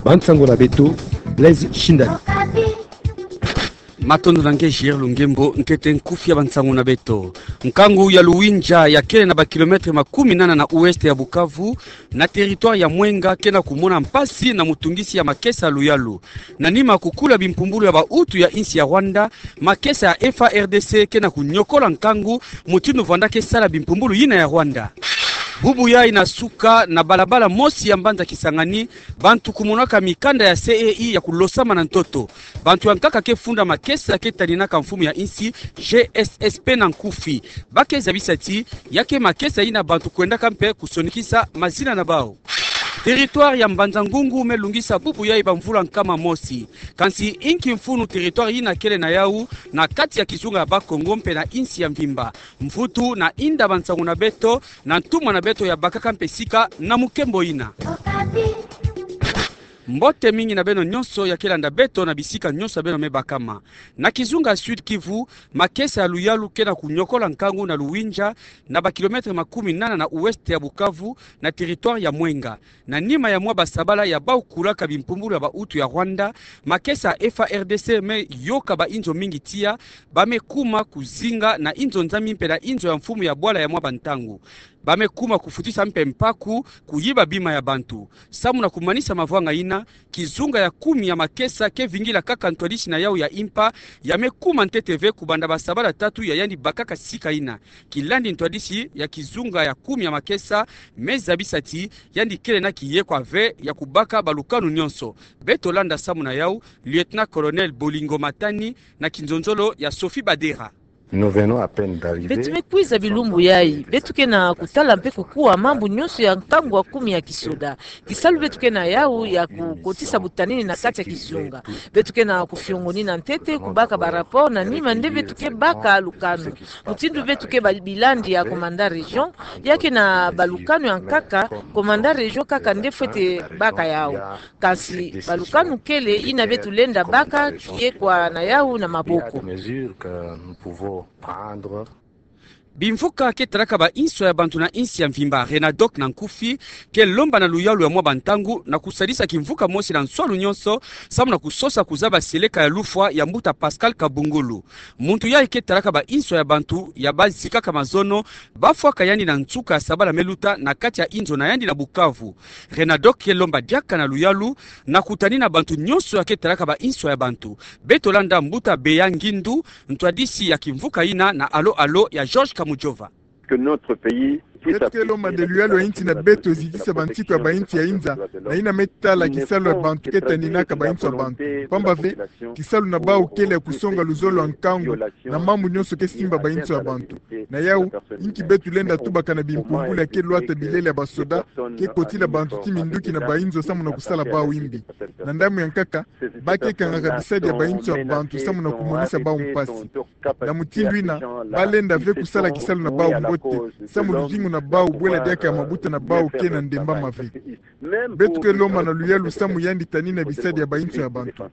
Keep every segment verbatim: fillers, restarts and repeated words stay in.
Bansango na beto, Blaise Shindani. Matondo na nge J R Lungembo. Nkete nkufi ya bansango na beto. Nkangu ya Luwindja ya kele na ba kilomètre makumi nana na ouest ya Bukavu, na territoire ya Mwenga, ke na kumona mpasi na mutungisi ya makesa ya luyalu. Na nima kukula bimpumbulu ya bautu ya insi ya Rwanda, makesa ya F A R D C ke na kunyokola nkangu, mutindu vwanda ke sala bimpumbulu yina ya Rwanda. Bubu yayi na suka, na balabala mosi ya mbanza Kisangani, bantu kumonaka mikanda ya C E I ya kulosama na ntoto. Bantu ya nkaka ke funda makesa ke taninaka mfumu ya insi, G S S P na nkufi. Ba ke zabisa ti ya ke makesa yina bantu kwendaka mpe kusonikisa mazina na bau. Territoire ya Mbanza-Ngungu me lungisa bubu yayi bamvula nkama mosi. Kansi inki mfunu territoire yina kele na yau na kati ya kizunga ya Bakongo mpe na insi ya mvimba? Mvutu na inda bansango na beto, na ntumwa na beto ya bakaka mpe sika na mukembo yina. Mbote mingi na beno nyonso ya ke landa beto na bisika nyonso ya beno me bakama. Na kizunga Sud-Kivu, makesa ya luyalu ke na kunyokola nkangu na Luwindja, na ba kilomètre makumi nana na ouest ya Bukavu, na territoire ya Mwenga. Na nima ya mwa basabala ya bau kulaka bimpumbulu ya bautu ya Rwanda, makesa ya F A R D C me yoka bainzo mingi tiya, ba me kuma kuzinga na inzo nzambi mpe na inzo ya mfumu ya bwala ya mwa bantangu. Ba me kuma kufutisa mpe mpaku, kuyiba bima ya bantu. Samu na kumanisa mavwanga yina, kizunga ya kumi ya makesa ke vingila kaka ntwadisi na yau ya impa, ya me kuma ntete ve kubanda basabala tatu ya yandi bakaka sika yina. Kilandi ntwadisi ya kizunga ya kumi ya makesa me zabisa ti yandi kele na kiyekwa ve ya kubaka balukanu nyonso. Beto landa samu na yau, Lieutenant-colonel Bolingo Matani, na kinzonzolo ya Sophie Badera. Nous venons à peine d'arriver. Beto me kwiza bilumbu yayi, beto ke na kutala mpe kukuwa mambu nyonso ya nkangu ya kumi ya kisoda. Kisalu beto ke na yau ya kukotisa butanini na kati ya kizunga. Beto ke na kufiongonina ntete kubaka ba rapport, na nima nde beto ke baka lukanu. Mutindu beto ke ba-, bilandi ya commandant région, ya ke na balukanu ya nkaka, commandant région kaka nde fwete baka yau. Kansi balukanu kele yina beto lenda baka kiyekwa na yau na maboko. Mesures que nous pouvons prendre. Bimvuka ke talaka bainso ya bantu na insi ya mvimba, Renadoc na nkufi, ke lomba na luyalu ya mwa bantangu na kusadisa kimvuka mosi na nswalu nyonso, samu na kusosa kuzaba seleka ya lufwa ya mbuta Pascal Kabungulu. Muntu yayi ke talaka bainso ya bantu ya bazikaka mazono, bafwaka yandi na nsuka ya sabala me luta na kati ya inzo na yandi na Bukavu. Renadoc ke lomba diaka na luyalu na kutanina bantu nyonso ya ke talaka bainso ya bantu. Beto landa mbuta Beya Ngindu, ntwadisi ya kimvuka yina na alo-alo ya Georges Kamujova. Que notre pays puisse... Beto ke lomba nde luyalu ya insi na beto ezitisa bansiku ya bainsi ya inza, na yina me tala kisalu ya bantu ke taninaka bainso ya bantu. Pamba ve, kisalu na bau kele ya kusonga luzolo ya nkangu na mambu nyonso ke simba bainso ya bantu. Na yau, inki beto lenda tubaka na bimpumbulu ya ke lwata bilele ya basoda ke kotila bantu ti minduki na bainzo samu na kusala bau imbi. Na ndambu ya nkaka, ba ke kangaka bisadi ya bainso ya bantu samu na kumonisa bau mpasi. Na mutindu yina, ba lenda ve kusala kisalu na bau mbote, samu luzingu na bau bwela diaka ya mabuta na bau ke na ndembama ve. Beto ke lomba na luyalu samu yandi tanina bisadi ya bainso ya bantu.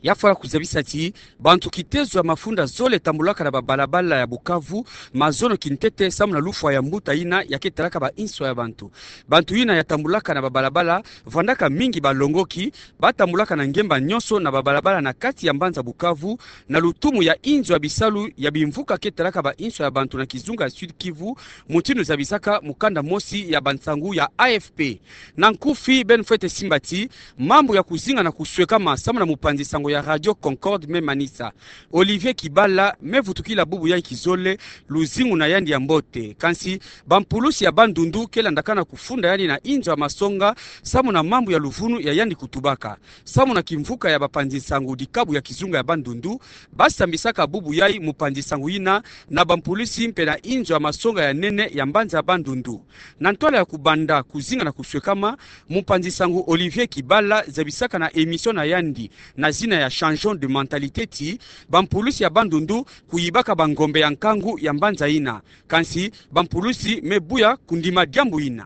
Ya fwana kuzabisa ti bantu kitezo ya mafunda zole tambulaka na babalabala ya Bukavu mazono kintete samu na lufwa ya mbuta yina ya ke talaka bainso ya bantu. Bantu yina ya tambulaka na babalabala, vwandaka mingi balongoki, ba tambulaka na ngemba nyonso na babalabala na kati ya mbanza Bukavu, na lutumu ya inzo ya bisalu ya bimvuka ke talaka bainso ya bantu na kizunga ya Sud-Kivu, mutindu zabisaka mukanda mosi ya bansangu ya A F P. Na nkufi, beno fwete simba ti mambu ya kuzinga na kuswekama samu na mupanzi sango ya Radio Concorde me manisa. Olivier Kibala me vutukila bubu yayi kizole, luzingu na yandi ya mbote. Kansi, bampulusi ya Bandundu ke landakana kufunda yandi na inzo ya masonga samu na mambu ya luvunu ya yandi kutubaka. Samu na kimvuka ya bapanzi nsangu dikabu ya kizunga ya Bandundu, ba sambisaka bubu yayi mupanzi nsangu yina na bampulusi mpe na inzo ya masonga ya nene ya mbanza ya Bandundu. Na ntwala ya kubanda kuzinga na kuswekama, mupanzi nsangu Olivier Kibala zabisaka na émission na yandi na zina ya Changeons de mentalité ti bampulusi ya Bandundu kuyibaka bangombe ya nkangu ya mbanza yina. Kansi bampulusi me buya kundima diambu yina.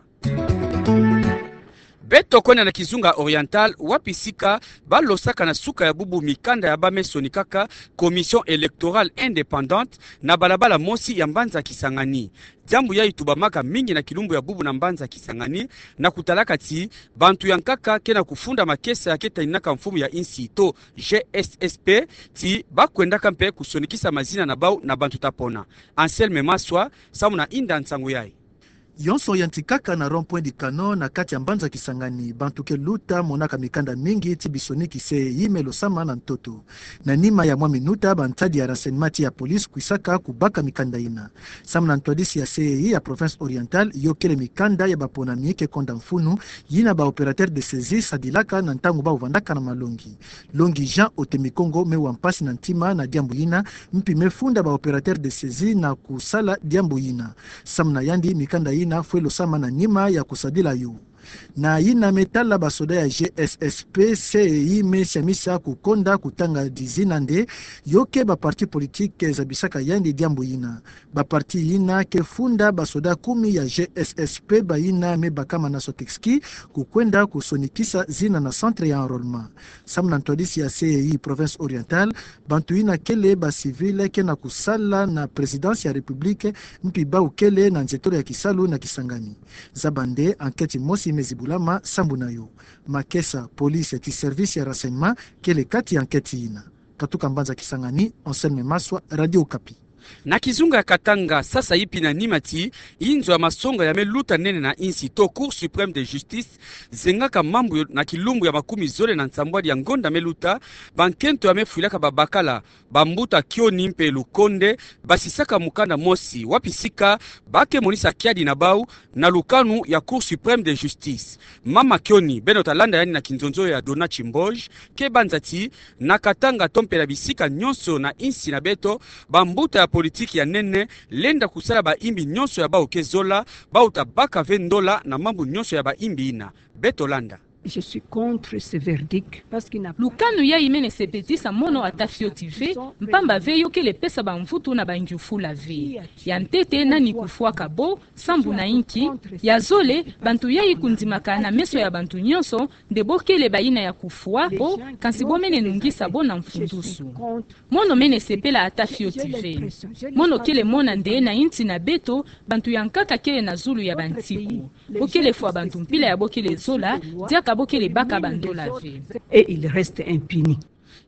Beto kwenda na kizunga Oriental, wapi sika balosaka na suka ya bubu mikanda ya bamesoni kaka Commission électorale indépendante na balabala mosi ya mbanza Kisangani. Diambu yayi tubamaka mingi na kilumbu ya bubu na mbanza Kisangani, na kutalaka ti bantu ya nkaka ke na kufunda makesa ya ke taninaka mfumu ya insi to G S S P, ti bakwendaka mpe kusonikisa mazina na bau na bantu ta pona. Anselme Maswa, samu na inda nsangu yayi. Yonso yantikaka na rond-point du Canon na kati ya mbanza Kisangani, bantu ke luta monaka mikanda mingi ti bisoniki C E I me losama na ntoto. Na nima ya mwa minuta, bantadi ya renseignement ti ya police kwisaka kubaka mikanda yina. Samu na ntwadisi ya C E I ya province Oriental, yo kele mikanda ya baponami ke konda mfunu, yina ba opérateur de saisie sadilaka na ntangu bau vandaka na malongi. Longi Jean Otemikongo me wa mpasi na ntima na diambu yina, mpi me funda ba opérateur de saisie na kusala diambu yina. Samu na yandi, mikanda yina fwe losama na nima ya kusadila yo. Na yina me tala basoda ya G S S P, C E I me siamisa kukonda kutanga dizina nde yo ke ba parti politique zabisaka yandi diambu yina. Ba parti yina ke funda basoda kumi ya G S S P, bayina me bakama na Sotexki, kukwenda kusonikisa zina na centre ya enrôlement. Samu na ntwadisi ya C E I province Oriental, bantu yina kele ba civil ke na kusala na présidence ya République, mpi bau kele na nzietolo ya kisalu na Kisangani. Zaba nde enquête mosi me zibulama sambu na yo. Makesa, police ti service ya renseignement kele kati ya enquête yina. Katuka mbanza Kisangani, Anselme Maswa, Radio Okapi. Na kizunga ya Katanga, sasa ipi na nima ti inzo ya masonga ya me luta nene na insi to Cour suprême de justice zengaka mambu yo na kilumbu ya makumi zole na nsambwadi ya ngonda me luta, bankento ya me fwilaka babakala, bambuta Kioni mpe Lukonde, basisaka mukanda mosi, wapi sika ba ke monisa kiadi na bau na lukanu ya Cour suprême de justice. Mama Kioni, beno ta landa yandi na kinzonzo ya Dona Chimboj, ke banza ti na Katanga to mpe na bisika nyonso na insi na beto, bambuta ya politique ya nene lenda kusala baimbi nyonso ya bau ke zola, bau ta baka ve ndola na mambu nyonso ya baimbi yina. Beto landa. Je suis contre ce verdict, parce qu'il n'a... Lukanu yayi mene sepetisa mono ata fioti ve, mpamba ve yo kele pesa bamvutu na bangiufula ve. Ya ntete, nani kufwaka bo, sambu na inki? Ya zole, bantu yayi kundimaka na meso ya bantu nyonso nde bo kele bayina ya kufwa bo, kansi bo mene nungisa bo na mfundusu. Mono mene sepela ata fioti ve. Mono kele mona nde na insi na beto, bantu ya nkaka kele na zulu ya bantiku. Bo kele fwa bantu mpila ya bo kele zola, diaka bo kele baka bandola ve. Et il reste impuni.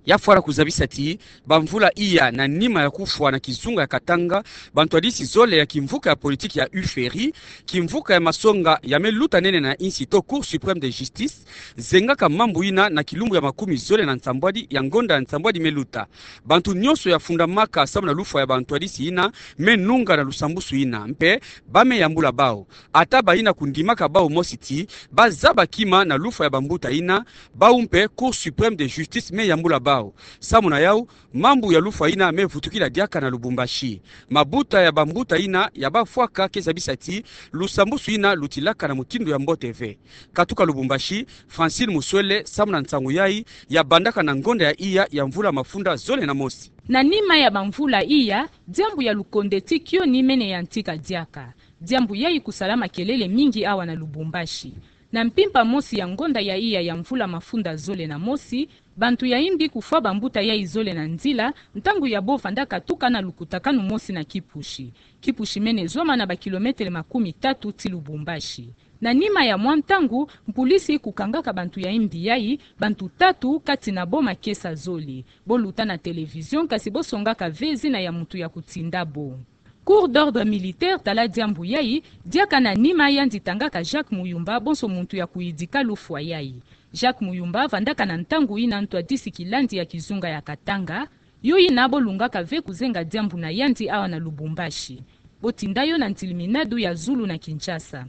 Ya fwala kuzabisa ti, bamvula iya na nima ya kufwa na kizunga ya Katanga, bantwadisi zole ya kimvuka ya politique ya UFERI, kimvuka ya masonga ya me luta nene na insi to Cour suprême de justice, zengaka mambu yina na kilumbu ya makumi zole na nsambwadi ya ngonda ya nsambwadi me luta. Bantu nyonso ya fundamaka samu na lufwa ya bantwadisi yina me nunga na lusambusu yina, mpe ba me yambula bau. Ata bayina kundimaka bau mosi ti ba zaba kima na lufwa ya bambuta yina, bau mpe Cour suprême de justice me yambula bau. Samu na yau, mambu ya lufwa yina me vutukila diaka na Lubumbashi. Mabuta ya bambuta yina ya bafwaka ke zabisa ti lusambusu yina lutilaka na mutindu ya mbote ve. Katuka Lubumbashi, Francine Muswele, samu na nsangu yayi ya bandaka na ngonda ya iya ya mvula mafunda zole na mosi. Na nima ya bamvula iya, diambu ya Lukonde ti Kioni mene yantika diaka. Diambu yayi kusala makelele mingi awa na Lubumbashi. Na mpimpa mosi ya ngonda ya iya ya mvula mafunda zole na mosi, bantu ya imbi kufwa bambuta yayi zole na nzila, ntangu ya bo vandaka tuka na lukutakanu mosi na kipushi. Kipushi mene zwama na ba kilomètre makumi tatu ti Lubumbashi. Na nima ya mwa ntangu, mpulisi kukangaka bantu ya imbi yayi, bantu tatu kati na bo makesa zole. Bo luta na télévision, kasi bo songaka ve zina ya mutu ya kutinda bo. Cour d'ordre militaire tala diambu yayi, diaka na nima yandi tangaka Jacques Muyumba bonso muntu ya kuyidika lufwa yayi. Jacques Muyumba vandaka na ntangu yina ntwadisi kilandi ya kizunga ya Katanga, yo yina bo lungaka ve kuzenga diambu na yandi awa na Lubumbashi. Bo tinda yo na ntiliminadu ya zulu na Kinshasa.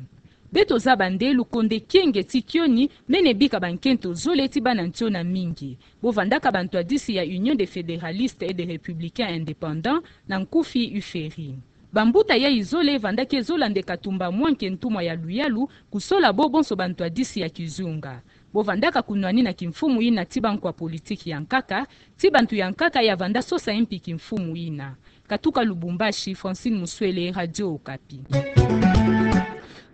Beto zaba nde Lukonde Kienge ti Kioni mene bika bankento zole ti bana ntiona mingi. Bo vandaka bantwadisi ya Union des fédéralistes et des républicains indépendants, na nkufi UFERI. Bambuta yayi zole vandaka zola nde Katumba Mwanke, ntumwa ya luyalu, kusola bo bonso bantwadisi ya kizunga. Bo vandaka kunwani na kimfumu yina ti bankwa politiki ya nkaka, ti bantu ya nkaka ya vanda sosa mpi kimfumu yina. Katuka Lubumbashi, Francine Muswele, Radio Okapi.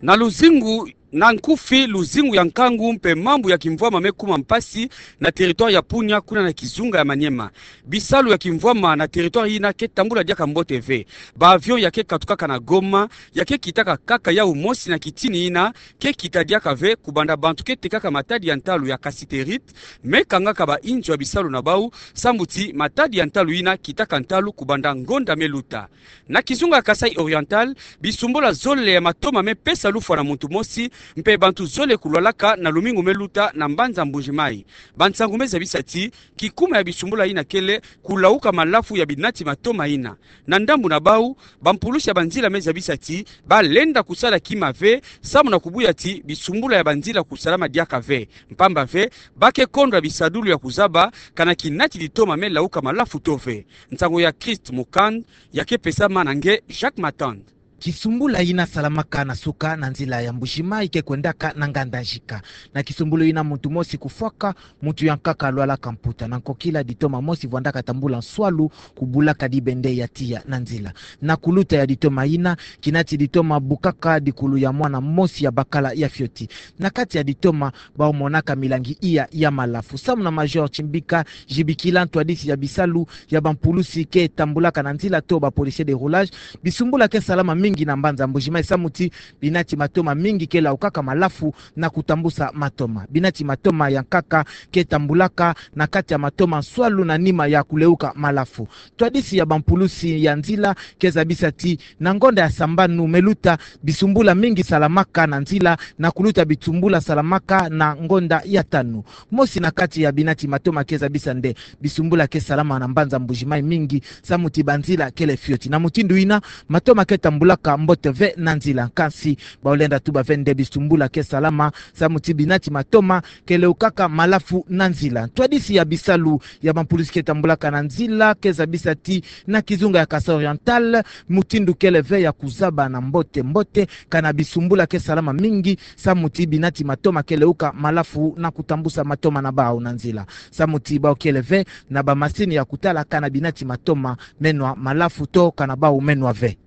Na luzingu Na nkufi, luzingu ya nkangu mpe mambu ya kimvwama me kuma mpasi na territoire ya Punya, kuna na kizunga ya Maniema. Bisalu ya kimvwama na territoire yina ke tambula diaka mbote ve. Ba avion ya ke katukaka na Goma ya ke kitaka kaka yau mosi, na kitini yina ke kita diaka ve, kubanda bantu ke tekaka matadi ya ntalu ya cassiterite me kangaka bainzo ya bisalu na bau, samu ti matadi ya ntalu yina kitaka ntalu kubanda ngonda me luta. Na kizunga ya Kasaï Oriental, bisumbula zole ya matoma me pesa lufwa na muntu mosi, mpe bantu zole kulwalaka na lumingu me luta na mbanza Mbuji-Mayi. Bansangu me zabisa ti kikuma ya bisumbula yina kele kulauka malafu ya binati matoma yina. Na ndambu na bau, bampulusi ya banzila me zabisa ti ba lenda kusala kima ve, samu na kubuya ti bisumbula ya banzila kusalama diaka ve, mpamba ve ba ke kondwa bisadulu ya kuzaba kana kinati ditoma me lauka malafu to ve. Nsangu ya Christ Mukand ya ke pesama na nge Jacques Matand. Kisumbula yina salamaka na suka na nzila ya Mbuji-Mayi ke kwendaka na nganda Nsika. Na kisumbulu yina muntu mosi kufwaka, muntu ya nkaka alwalaka mputa. Na nkokila, ditoma mosi vwandaka tambula nswalu kubulaka dibende ya tiya na nzila. Na kuluta ya ditoma yina, kinati ditoma bukaka dikulu ya mwana mosi ya bakala ya fioti. Na kati ya ditoma, bau monaka milangi iya ya malafu. Samu na Major Chimbika Jibikila, ntwadisi ya bisalu ya bampulusi ke tambulaka na nzila to ba policiers de roulage, bisumbula ke salama mingi na mbanza Mbuji-Mayi, samu ti binati matoma mingi ke laukaka malafu na kutambusa matoma. Binati matoma ya nkaka ke tambulaka na kati ya matoma nswalu na nima ya kuleuka malafu. Ntwadisi ya bampulusi ya nzila ke zabisa ti na ngonda ya sambanu me luta, bisumbula mingi salamaka na nzila, na kuluta bisumbula salamaka na ngonda ya tanu. Mosi na kati ya binati matoma ke zabisa nde bisumbula ke salama na mbanza Mbuji-Mayi mingi, samu ti banzila kele fioti. Na mutindu yina, matoma ke tambulaka mbote ve na nzila. Kansi bau lenda tuba ve nde bisumbula ke salama, samu ti binati matoma ke leukaka malafu na nzila. Ntwadisi ya bisalu ya bampulusi ke tambulaka na nzila ke zabisa ti na kizunga ya Kasaï Oriental, mutindu kele ve ya kuzaba na mbote mbote kana bisumbula ke salama mingi, samu ti binati matoma ke leuka malafu na kutambusa matoma na bau na nzila. Samu ti bau kele ve na bamasini ya kutala kana binati matoma me nwa malafu to kana bau me nwa ve.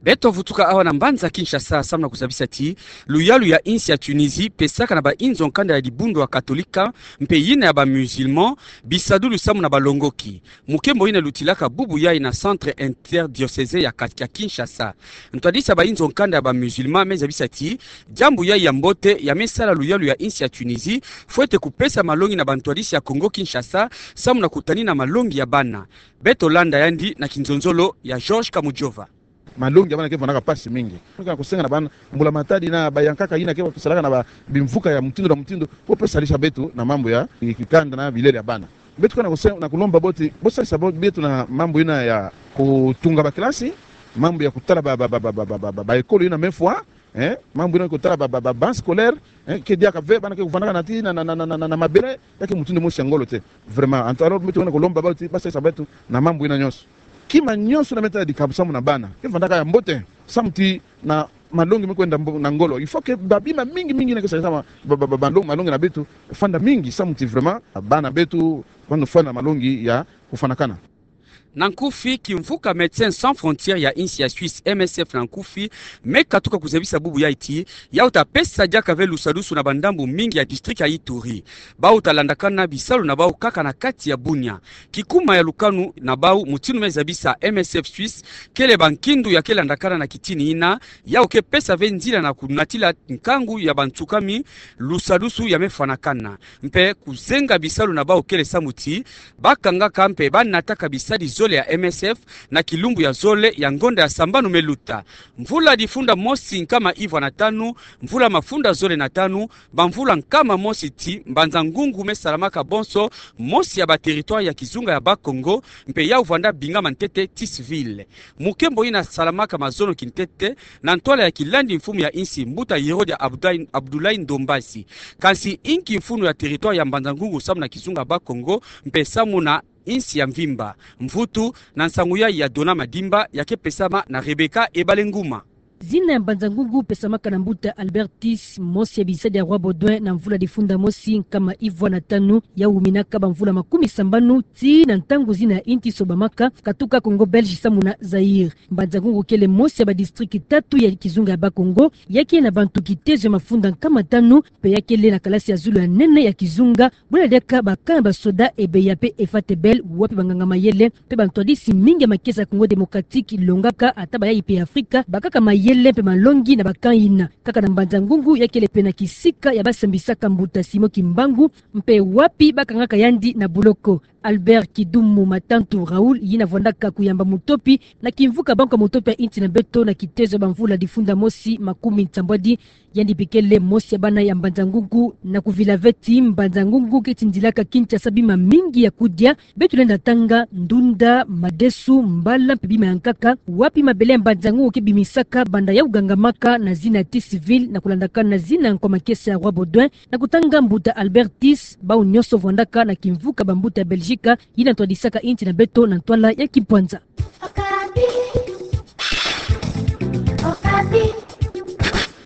Beto vutuka awa na mbanza Kinshasa, samu na kuzabisa ti luyalu ya insi ya Tunisie pesaka na bainzo nkanda ya dibundu ya Katolika mpe yina ya ba musulmans bisadulu samu na balongoki. Mukembo yina lutilaka bubu yayi na Centre interdiocésain ya Ka-, ya Kinshasa. Ntwadisi ya bainzo nkanda ya ba musulmans me zabisa ti diambu yayi ya mbote ya me sala luyalu ya insi ya Tunisie fwete kupesa malongi na bantwadisi ya Congo Kinshasa samu na kutanina malongi ya bana. Beto landa yandi na kinzonzolo ya Georges Kamujova. Malongi ya bana ke vandaka mpasi mingi. Ka kusenga na bana, mbula matadi na bayankaka yina ke kusalaka na ba bimvuka ya mutindu na mutindu, bo pesa lisa beto na mambu ya kikanda na bilele ya bana. Beto kana kusenga na kulomba bo ti bo salisa bo-, beto na mambu yina ya kutunga ba classe, mambu ya kutala ba, ba, ba école yina me fwa, eh, mambu yina kutala ba, ba, ba banc scolaire, eh, ke diaka ve, bana ke kuvandaka na ti na, na, na mabele, ya ke mutindu mosi ya ngolo te. Vraiment, anto alors beto kana kulomba bo ti ba salisa beto na mambu yina nyonso. Kima nyonso yina me tala dikabu samu na bana ke vandaka ya mbote, samu ti na malongi me kwenda mbo-, na ngolo, il faut que ba bima mingi mingi yina ke salisa ma-, ba, ba, ba, malongi, malongi na beto fanda mingi, samu ti vraiment bana beto bano fwa na malongi ya kufwanakana. Na nkufi, kimvuka Médecins Sans Frontières ya insi ya Suisse, M S F na nkufi, me katuka kuzabisa bubu yayi ti yau ta pesa diaka ve lusadusu na bandambu mingi ya district ya Ituri. Bau ta landakana bisalu na bau kaka na kati ya Bunia. Kikuma ya lukanu na bau, mutindu me zabisa M S F Suisse, kele bankindu ya ke landakana na kitini yina, yau ke pesa ve nzila na kunatila nkangu ya bantsukami lusadusu ya me fwanakana. Mpe kuzenga bisalu na bau kele samu ti ba kangaka mpe ba nataka bisadi zole ya M S F na kilumbu ya zole ya ngonda ya sambanu me luta. Mvula difunda mosi nkama ivwa na tanu, mvula mafunda zole na tanu, bamvula nkama mosi ti mbanza ngungu me salamaka bonso mosi ya ba territoire ya kizunga ya Bas-Congo, mpe yau vwanda bingama ntete ti civil. Mukembo yina salamaka mazono kintete na ntwala ya kilandi mfumu ya insi, mbuta Herode Abdoulaye, Abdoulaye Ndombasi. Kansi inki mfunu ya territoire ya mbanza ngungu samu na kizunga Bas-Congo mpe samu na insi ya mvimba? Mvutu na nsangu yayi ya Dona Madimba, ya ke pesama na Rebecca Ebalenguma. Zina ya Mbanza-Ngungu pesamaka na mbuta Albert Thiss, mosi ya bisadi ya Roi Baudouin na mvula difunda mosi nkama ivwa na tanu, ya wuminaka bamvula makumi sambanu tii na ntangu zina ya inti sobamaka, katuka Congo Belge samu na Zaïre. Mbanza-Ngungu kele mosi ya badistrict tatu ya kizunga ya Bas-Congo, ya kele na bantu kitezo ya mafunda nkama tanu, mpe ya kele na kalasi ya zulu ya nene ya kizunga, buna diaka ba camp ya basoda Ebeya mpe Efate Bell, wapi banganga-mayele mpe bantwadisi mingi ya makesa ya Congo Démocratique longaka, ata bayayi mpe ya Afrika, bakaka mayele mpe malongi na ba camp yina. Kaka na Mbanza-Ngungu, ya kele pena kisika ya basambisaka mbuta Simon Kimbangu, mpe wapi bakangaka yandi na buloko. Albert Kidumu Matantu Raoul, yina vwandaka kuyamba mutopi na kimvuka Banque ya Mutopi ya inti na beto na kitezo ya bamvula difunda mosi makumi nsambwadi, yandi mpe kele mosi ya bana ya Mbanza-Ngungu na kuvila ve ti Mbanza-Ngungu ke tindilaka Kinshasa bima mingi ya kudia, beto lenda tanga ndunda, madesu, mbala mpe bima ya nkaka, wapi mabele ya Mbanza-Ngungu ke bimisaka banda ya kugangamaka na zina ya Thiss Ville na kulandakana na zina nkwa makesa ya Roi Baudouin, na kutanga mbuta Albert Thiss, bau nionso vwandaka na kimvuka bambuta ya Belgique, yina ntwadisaka inti na beto na ntwala ya kimpwanza.